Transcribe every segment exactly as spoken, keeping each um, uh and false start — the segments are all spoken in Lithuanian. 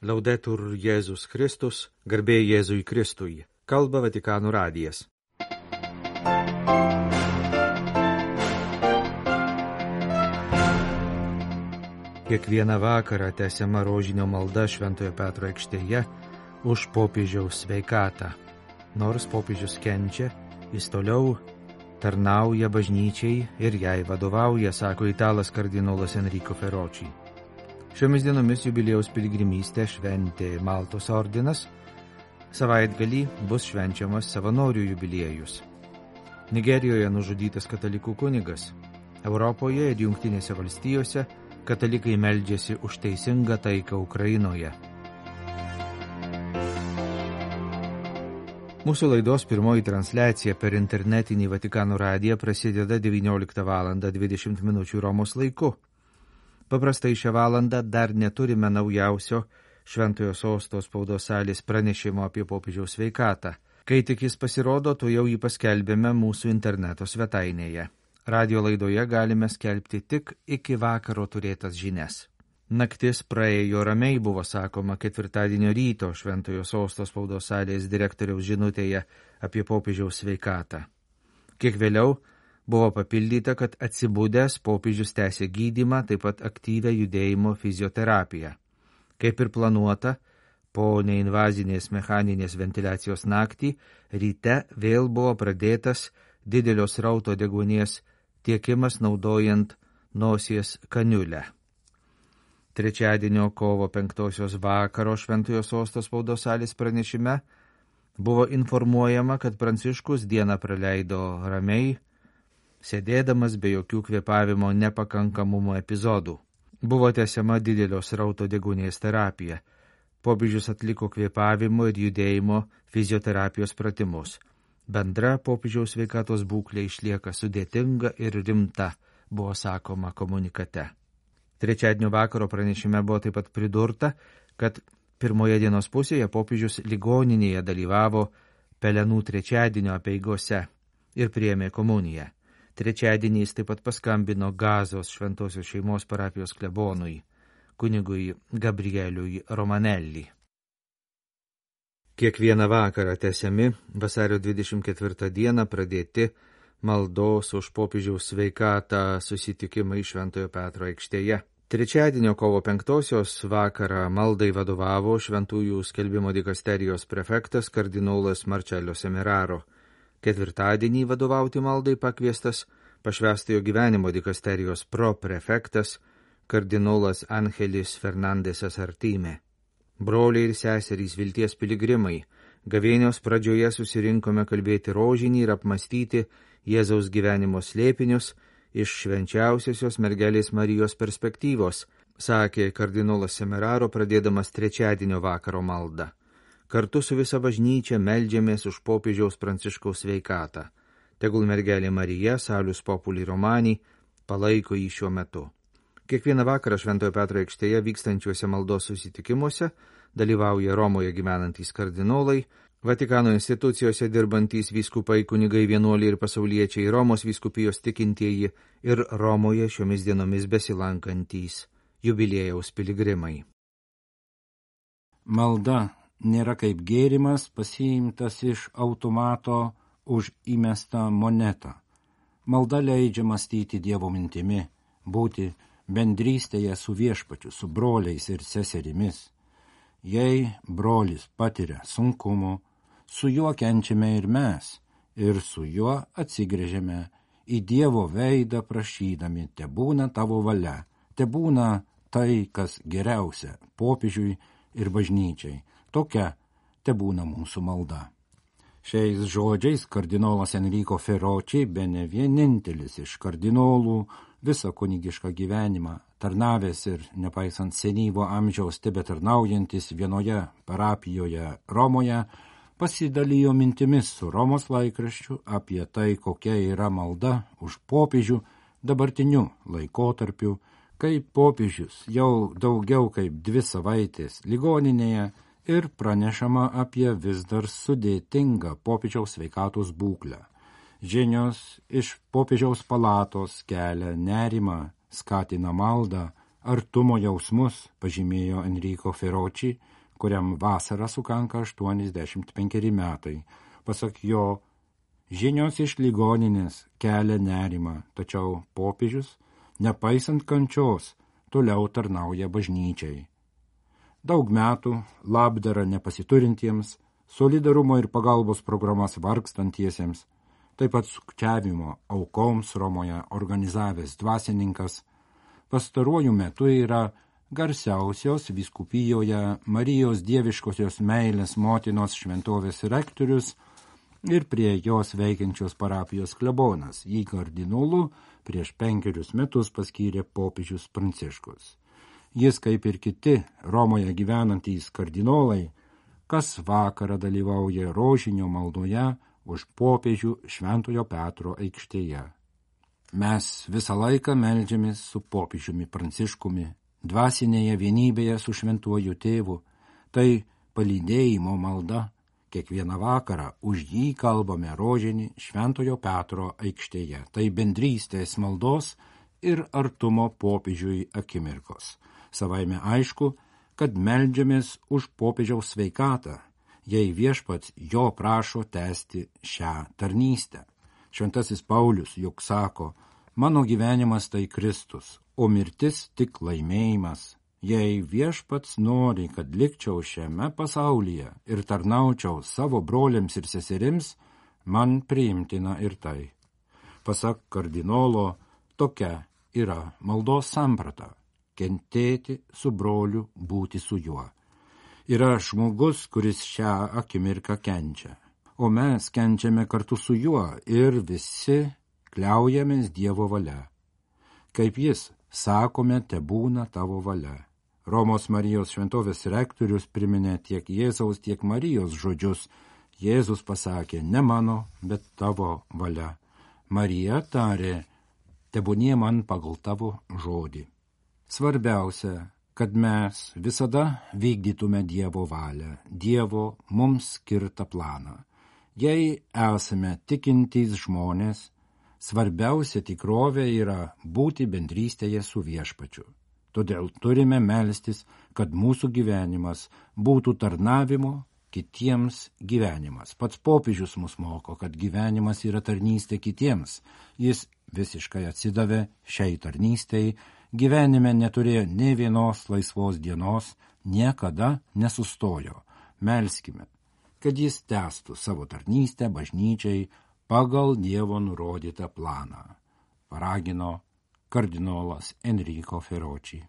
Laudetur Jėzus Kristus, garbė Jėzui Kristui. Kalba Vatikano radijas. Kiekvieną vakarą tęsiama rožinio malda Šventojo Petro aikštėje už popiežiaus sveikatą. Nors popiežius kenčia, jis toliau tarnauja bažnyčiai ir jai vadovauja, sako italas kardinolas Enrico Ferrocci. Šiomis dienomis jubiliejaus piligrimystę šventė Maltos ordinas, savaitgalį bus švenčiamas savanorių jubiliejus. Nigerijoje nužudytas katalikų kunigas. Europoje ir Jungtinėse valstijose katalikai meldžiasi už teisingą taiką Ukrainoje. Mūsų laidos pirmoji transliacija per internetinį Vatikano radiją prasideda devynioliktą valandą dvidešimt minučių Romos laiku. Paprastai šią valandą dar neturime naujausio Šventojo Sosto spaudos salės pranešimo apie popiežiaus sveikatą. Kai tik jis pasirodo, to jau jį paskelbėme mūsų interneto svetainėje. Radio laidoje galime skelbti tik iki vakaro turėtas žinias. Naktis praėjo ramiai, buvo sakoma ketvirtadienio ryto Šventojo Sosto spaudos salės direktoriaus žinutėje apie popiežiaus sveikatą. Kiek vėliau buvo papildyta, kad atsibudęs popiežius tęsė gydymą, taip pat aktyvę judėjimo fizioterapiją. Kaip ir planuota, po neinvazinės mechaninės ventiliacijos naktį, ryte vėl buvo pradėtas didelio srauto deguonies tiekimas naudojant nosies kaniulę. Trečiadienio kovo penktosios vakaro Šventojo Sosto spaudos salės pranešime buvo informuojama, kad Pranciškus dieną praleido ramiai, sėdėdamas be jokių kvėpavimo nepakankamumo epizodų. Buvo tęsiama didelio srauto deguonies terapija. Popiežius atliko kvėpavimo ir judėjimo fizioterapijos pratimus. Bendra popiežiaus sveikatos būklė išlieka sudėtinga ir rimta, buvo sakoma komunikate. Trečiadienio vakaro pranešime buvo taip pat pridurta, kad pirmoje dienos pusėje popiežius ligoninėje dalyvavo Pelenų trečiadienio apeigose ir priėmė komuniją. Trečiadienį jis taip pat paskambino Gazos šventosios šeimos parapijos klebonui, kunigui Gabrieliui Romanelli. Kiekvieną vakarą tęsiami vasario dvidešimt ketvirtą dieną pradėti maldos už popiežiaus sveikatą susitikimai Šventojo Petro aikštėje. Trečiadienio kovo penktosios vakarą maldai vadovavo Šventųjų skelbimo dikasterijos prefektas kardinolas Marcello Semeraro. Ketvirtadienį vadovauti maldai pakviestas pašvęstojo gyvenimo dikasterijos proprefektas kardinolas Angelis Fernandesas Artime. Broliai ir seserys vilties piligrimai, gavėnios pradžioje susirinkome kalbėti rožinį ir apmastyti Jėzaus gyvenimo slėpinius iš švenčiausiosios mergelės Marijos perspektyvos, sakė kardinolas Semeraro pradėdamas trečiadienio vakaro maldą. Kartu su visa bažnyčia meldžiamės už popiežiaus Pranciškaus sveikatą. Tegul mergelė Marija, Salus Populi Romani, palaiko jį šiuo metu. Kiekvieną vakarą Šventojo Petro aikštėje vykstančiuose maldos susitikimuose dalyvauja Romoje gyvenantys kardinolai, Vatikano institucijose dirbantys vyskupai, kunigai, vienuoliai ir pasauliečiai, Romos vyskupijos tikintieji ir Romoje šiomis dienomis besilankantys jubiliejaus piligrimai. Malda nėra kaip gėrimas pasiimtas iš automato už įmestą monetą. Malda leidžia mąstyti Dievo mintimi, būti bendrystėje su viešpačiu, su broliais ir seserimis. Jei brolis patiria sunkumų, su juo kenčiame ir mes, ir su juo atsigręžiame į Dievo veidą prašydami, tebūna tavo valia, tebūna tai, kas geriausia popiežiui ir bažnyčiai. Tokia tebūna mūsų malda. Šiais žodžiais kardinolas Enrico Ferrocci, bene vienintelis iš kardinolų visą kunigišką gyvenimą, tarnavęs ir nepaisant senyvo amžiaus tebetarnaujantis vienoje parapijoje Romoje, pasidalijo mintimis su Romos laikraščiu apie tai, kokia yra malda už popiežių dabartiniu laikotarpiu, kai popiežius jau daugiau kaip dvi savaitės ligoninėje ir pranešama apie vis dar sudėtingą popiežiaus sveikatos būklę. Žinios iš popiežiaus palatos kelia nerimą, skatina maldą, artumo jausmus, pažymėjo Enrico Ferrocci, kuriam vasarą sukanka aštuoniasdešimt penkeri metai. Pasak jo, žinios iš ligoninės kelia nerimą, tačiau popiežius, nepaisant kančios, toliau tarnauja bažnyčiai. Daug metų labdara nepasiturintiems, solidarumo ir pagalbos programas vargstantiesiems, taip pat sukčiavimo aukoms Romoje organizavęs dvasininkas, pastaruoju metu yra garsiausios vyskupijoje Marijos dieviškosios meilės motinos šventovės rektorius ir prie jos veikiančios parapijos klebonas. Jį kardinolu prieš penkerius metus paskyrė popiežius Pranciškus. Jis, kaip ir kiti Romoje gyvenantys kardinolai, kas vakarą dalyvauja rožinio maldoje už popiežių Šventojo Petro aikštėje. Mes visą laiką meldžiamės su popiežiumi Pranciškumi, dvasinėje vienybėje su šventuoju tėvu, tai palydėjimo malda. Kiekvieną vakarą už jį kalbame rožinį Šventojo Petro aikštėje. Tai bendrystės maldos ir artumo popiežiui akimirkos. Savaime aišku, kad meldžiamės už popiežiaus sveikatą, jei viešpats jo prašo tęsti šią tarnystę. Šventasis Paulius juk sako, mano gyvenimas tai Kristus, o mirtis tik laimėjimas. Jei viešpats nori, kad likčiau šiame pasaulyje ir tarnaučiau savo broliams ir seserims, man priimtina ir tai. Pasak kardinolo, tokia yra maldos samprata – kentėti su broliu, būti su juo. Yra žmogus, kuris šią akimirką kenčia, o mes kenčiame kartu su juo ir visi kliaujamės Dievo valia. Kaip jis, sakome, tebūna tavo valia. Romos Marijos šventovės rektorius priminė tiek Jėzaus, tiek Marijos žodžius. Jėzus pasakė, ne mano, bet tavo valia. Marija tarė, tebūnie man pagal tavo žodį. Svarbiausia, kad mes visada vykdytume Dievo valią, Dievo mums skirtą planą. Jei esame tikintys žmonės, svarbiausia tikrovė yra būti bendrystėje su viešpačiu. Todėl turime melstis, kad mūsų gyvenimas būtų tarnavimo kitiems gyvenimas. Pats popiežius mus moko, kad gyvenimas yra tarnystė kitiems. Jis visiškai atsidavė šiai tarnystei, gyvenime neturėjo nė vienos laisvos dienos, niekada nesustojo. Melskime, kad jis tęstų savo tarnystę bažnyčiai pagal Dievo nurodytą planą. Paragino kardinolas Enrico Ferrocci.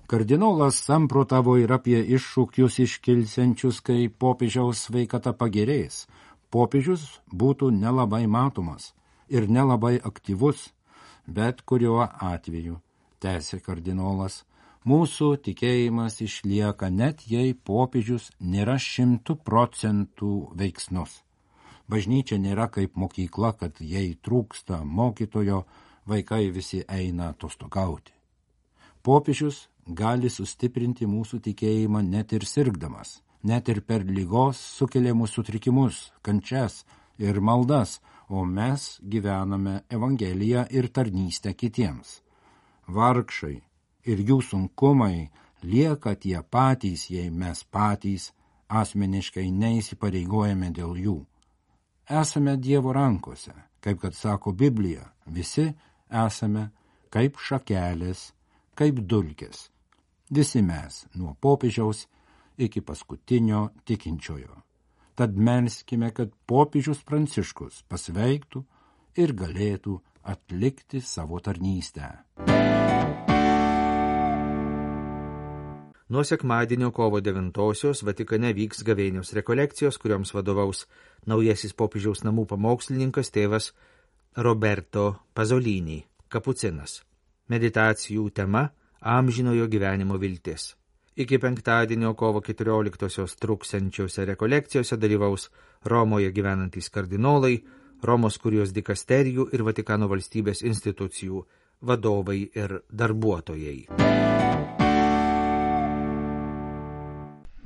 Kardinolas samprotavo ir apie iššūkius iškilsiančius, kai popiežiaus sveikata pagerės. Popiežius būtų nelabai matomas ir nelabai aktyvus, bet kuriuo atveju, tęsė kardinolas, mūsų tikėjimas išlieka net jei popiežius nėra šimtų procentų veiksnus. Bažnyčia nėra kaip mokykla, kad jei trūksta mokytojo, vaikai visi eina atostogauti. Popiežius gali sustiprinti mūsų tikėjimą net ir sirgdamas, net ir per ligos sukeliamus sutrikimus, kančias ir maldas, o mes gyvename Evangeliją ir tarnystę kitiems. Vargšai ir jų sunkumai lieka tie patys, jei mes patys asmeniškai neįsipareigojame dėl jų. Esame Dievo rankose, kaip kad sako Biblija, visi esame kaip šakelės, kaip dulkės. Visi mes, nuo popiežiaus iki paskutinio tikinčiojo. Tad melskime, kad popiežius Pranciškus pasveiktų ir galėtų atlikti savo tarnystę. Nuo sekmadienio kovo devintosios Vatikane vyks gavėnios rekolekcijos, kurioms vadovaus naujasis popiežiaus namų pamokslininkas tėvas Roberto Pasolini, kapucinas. Meditacijų tema – amžinojo gyvenimo viltis. Iki penktadienio kovo keturioliktosios truksiančiose rekolekcijose dalyvaus Romoje gyvenantys kardinolai, Romos kurijos dikasterijų ir Vatikano valstybės institucijų vadovai ir darbuotojai.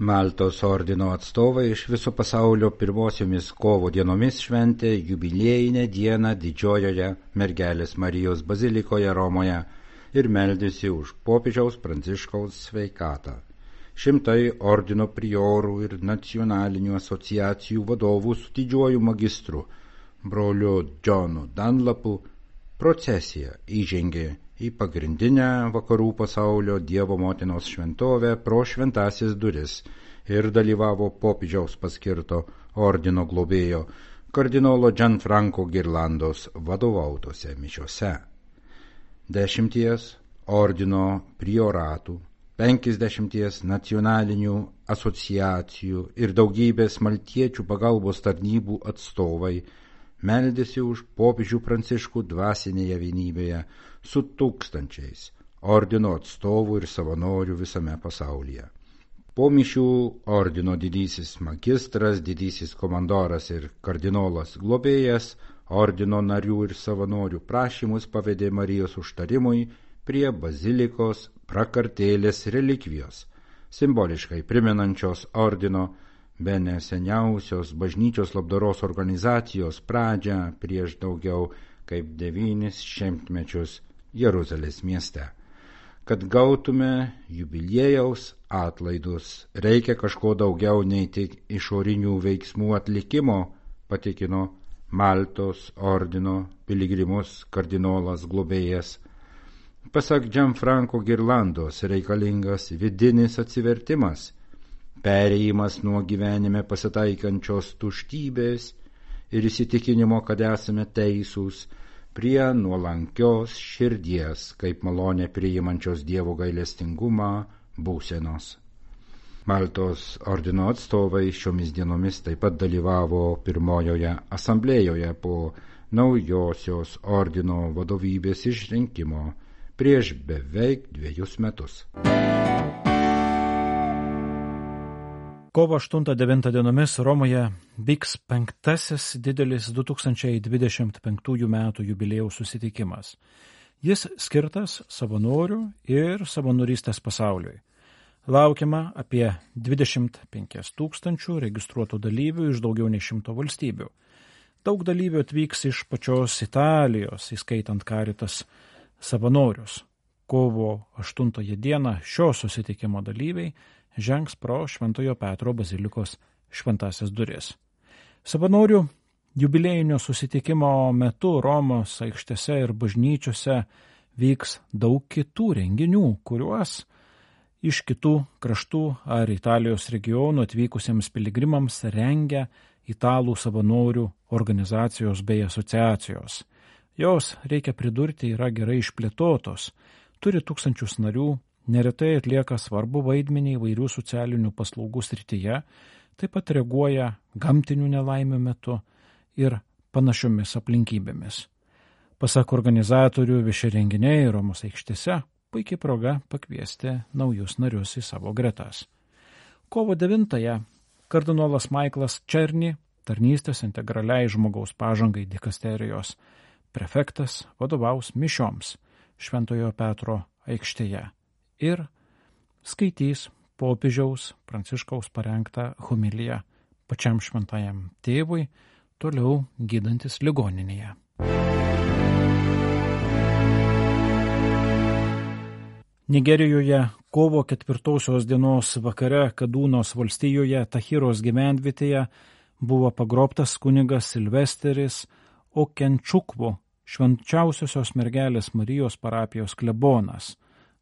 Maltos ordino atstovai iš viso pasaulio pirmosiomis kovo dienomis šventė jubiliejinę dieną Didžiojoje Mergelės Marijos bazilikoje Romoje. ir meldėsi už popiežiaus Pranciškaus sveikatą. Šimtai ordino priorų ir nacionalinių asociacijų vadovų su didžiuoju magistru, broliu Johnu Dunlapu, procesija įžengė į pagrindinę vakarų pasaulio Dievo motinos šventovę pro šventąsias duris ir dalyvavo popiežiaus paskirto ordino globėjo kardinolo Gianfranco Ghirlandos vadovautose mišiose. Dešimties ordino prioratų, penkisdešimties nacionalinių asociacijų ir daugybės maltiečių pagalbos tarnybų atstovai meldėsi už popiežių Pranciškų dvasinėje vienybėje su tūkstančiais ordino atstovų ir savanorių visame pasaulyje. Po mišių ordino didysis magistras, didysis komandoras ir kardinolas globėjas ordino narių ir savanorių prašymus pavedė Marijos užtarimui prie bazilikos prakartėlės relikvijos, simboliškai primenančios ordino bene seniausios bažnyčios labdaros organizacijos pradžią prieš daugiau kaip devynis šimtmečius Jeruzalės mieste. Kad gautume jubiliejaus atlaidus, reikia kažko daugiau nei tik išorinių veiksmų atlikimo, patikino Maltos ordino piligrimus kardinolas globėjas. Pasak Gianfranco Ghirlandos reikalingas vidinis atsivertimas, perėjimas nuo gyvenime pasitaikančios tuštybės ir įsitikinimo, kad esame teisūs, prie nuolankios širdies, kaip malonė priimančios Dievo gailestingumą būsenos. Maltos ordino atstovai šiomis dienomis taip pat dalyvavo pirmojoje asamblėjoje po naujosios ordino vadovybės išrinkimo prieš beveik dviejus metus. Kovo aštuntą devintą dienomis Romoje vyks penktasis didelis du tūkstančiai dvidešimt penktųjų metų jubiliejaus susitikimas. Jis skirtas savanorių ir savanorystės pasauliui. Laukiama apie dvidešimt penkis tūkstančių registruotų dalyvių iš daugiau nei šimto valstybių. Daug dalyvių atvyks iš pačios Italijos, įskaitant Caritas savanorius. Kovo aštuntąją dieną šio susitikimo dalyviai žengs pro Šventojo Petro bazilikos šventąsias duris. Savanorių jubiliejinio susitikimo metu Romos aikštėse ir bažnyčiose vyks daug kitų renginių, kuriuos iš kitų kraštų ar Italijos regionų atvykusiems piligrimams rengia italų savanorių organizacijos bei asociacijos. Jos, reikia pridurti, yra gerai išplėtotos, turi tūkstančius narių, neretai atlieka svarbu vaidmenį įvairių socialinių paslaugų srityje, taip pat reaguoja gamtinių nelaimių metu ir panašiomis aplinkybėmis. Pasak organizatorių, vieši renginiai Romos aikštėse puikiai proga pakviesti naujus narius į savo gretas. Kovo devintąją kardinolas Michaelas Černy, tarnystės integraliai žmogaus pažangai dikasterijos prefektas, vadovaus mišioms Šventojo Petro aikštėje ir skaitys popiežiaus Pranciškaus parengtą homiliją pačiam šventajam tėvui, toliau gydantis ligoninėje. Nigerijoje kovo ketvirtosios dienos vakare Kadūnos valstijoje Tahiros gyvenvietėje buvo pagrobtas kunigas Silvesteris Okenčukvu, švenčiausiosios mergelės Marijos parapijos klebonas,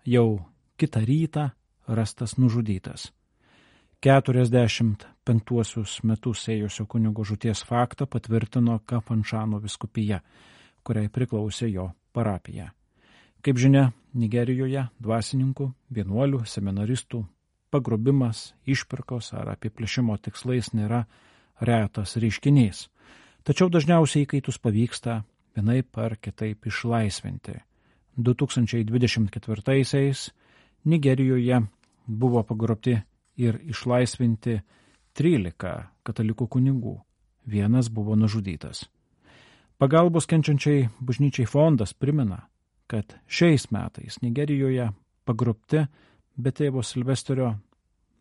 jau kitą rytą rastas nužudytas. keturiasdešimt penktuosius metus ėjusio kunigo žūties faktą patvirtino Kafanšano vyskupija, kuriai priklausė jo parapija. Kaip žinia, Nigerijoje dvasininkų, vienuolių, seminaristų pagrobimas, išpirkos ar apiplėšimo tikslais nėra retas reiškinys. Tačiau dažniausiai įkaitus pavyksta vienaip ar kitaip išlaisvinti. du tūkstančiai dvidešimt ketvirtaisiais Nigerijoje buvo pagrobti ir išlaisvinti trylika katalikų kunigų. Vienas buvo nužudytas. Pagalbos kenčiančiai bažnyčiai fondas primena, kad šiais metais Nigerijoje pagrobti be tėvo Silvesterio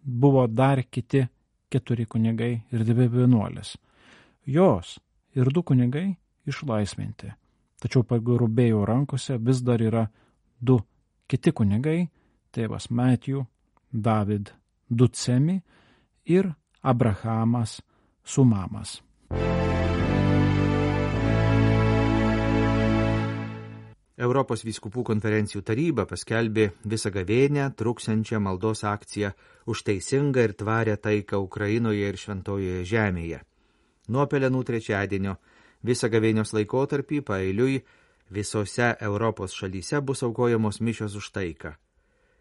buvo dar kiti keturi kunigai ir dvi vienuolės. Jos ir du kunigai išlaisvinti, tačiau pagrobėjo rankose vis dar yra du kiti kunigai, tėvas Matthew, David Ducemi ir Abrahamas Sumamas. Europos vyskupų konferencijų taryba paskelbė visą gavėnią truksiančią maldos akciją už teisingą ir tvarę taiką Ukrainoje ir Šventojoje žemėje. Nuo Pelenų trečiadienio visą gavėnios laikotarpį paeiliui visose Europos šalyse bus aukojamos mišios už taiką.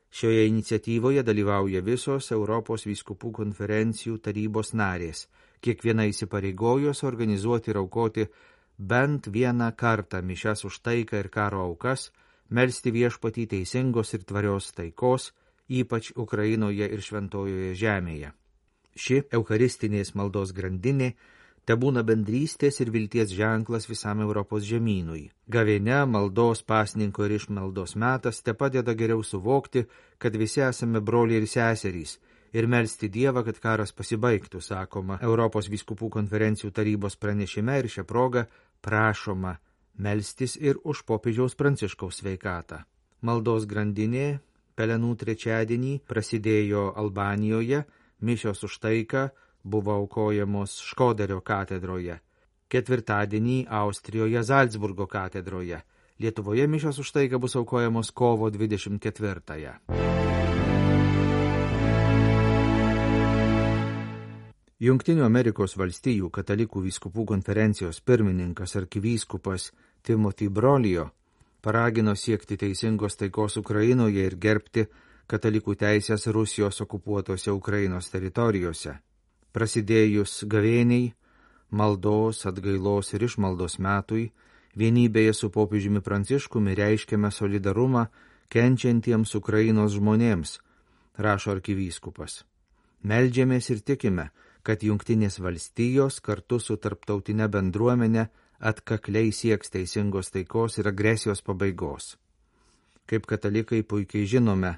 Šioje iniciatyvoje dalyvauja visos Europos vyskupų konferencijų tarybos narės, kiekviena įsipareigojus organizuoti ir aukoti bent vieną kartą mišias už taiką ir karo aukas, melsti viešpatį teisingos ir tvarios taikos, ypač Ukrainoje ir Šventojoje žemėje. Ši eucharistinės maldos grandinė tebūna bendrystės ir vilties ženklas visam Europos žemynui. Gavėnia, maldos, pasninko ir išmaldos metas te padeda geriau suvokti, kad visi esame broliai ir seserys, ir melsti Dievą, kad karas pasibaigtų, sakoma Europos vyskupų konferencijų tarybos pranešime, ir šią progą prašoma melstis ir už popiežiaus Pranciškaus sveikatą. Maldos grandinė Pelenų trečiadienį prasidėjo Albanijoje, mišios už taiką buvo aukojamos Škoderio katedroje, ketvirtadienį Austrijoje Zalcburgo katedroje, Lietuvoje mišios už taiką bus aukojamos kovo dvidešimt ketvirtąją. Jungtinių Amerikos valstijų katalikų vyskupų konferencijos pirmininkas arkivyskupas Timothy Brolio paragino siekti teisingos taikos Ukrainoje ir gerbti katalikų teisės Rusijos okupuotose Ukrainos teritorijose. Prasidėjus gavėniai, maldos, atgailos ir išmaldos metui, vienybėje su popiežiumi Pranciškumi reiškiame solidarumą kenčiantiems Ukrainos žmonėms, rašo arkivyskupas. Meldžiamės ir tikime, kad Jungtinės valstijos kartu su tarptautinė bendruomenė atkakliai sieks teisingos taikos ir agresijos pabaigos. Kaip katalikai puikiai žinome,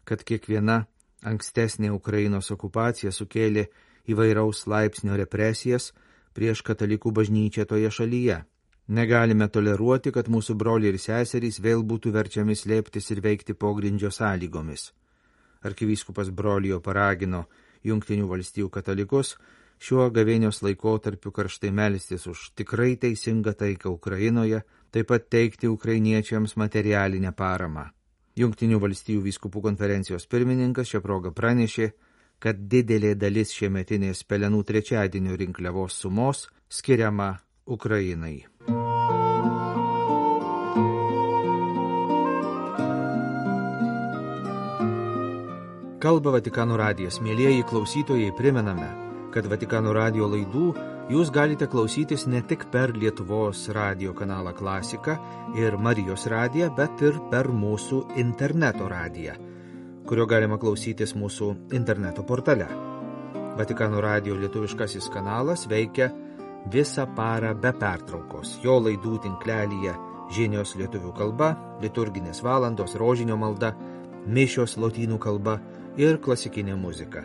kad kiekviena ankstesnė Ukrainos okupacija sukėlė įvairaus laipsnio represijas prieš katalikų bažnyčią toje šalyje. Negalime toleruoti, kad mūsų broliai ir seserys vėl būtų verčiami slėptis ir veikti pogrindžio sąlygomis. Arkivyskupas Brolio paragino Jungtinių valstijų katalikus šiuo gavėnios laikotarpiu karštai melstis už tikrai teisingą taiką Ukrainoje, taip pat teikti ukrainiečiams materialinę paramą. Jungtinių valstijų vyskupų konferencijos pirmininkas šią progą pranešė, kad didelė dalis šiemetinės Pelenų trečiadienio rinkliavos sumos skiriama Ukrainai. Kalba Vatikano radijas. Mielieji klausytojai, primename, kad Vatikano radijo laidų jūs galite klausytis ne tik per Lietuvos radijo kanalą Klasika ir Marijos radiją, bet ir per mūsų interneto radiją, kurio galima klausytis mūsų interneto portale. Vatikano radijo lietuviškasis kanalas veikia visą parą be pertraukos. Jo laidų tinklelyje žinios lietuvių kalba, liturginės valandos, rožinio malda, mišios lotynų kalba ir klasikinė muzika.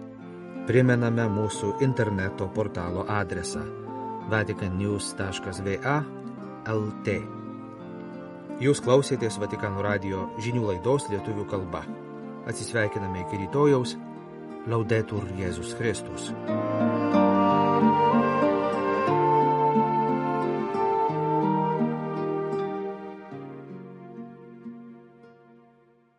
Primename mūsų interneto portalo adresą vatican news taškas v a taškas l t. Jūs klausėtės Vatikano radijo žinių laidos lietuvių kalba. Atsisveikiname iki rytojaus. Laudetur Jėzus Kristus.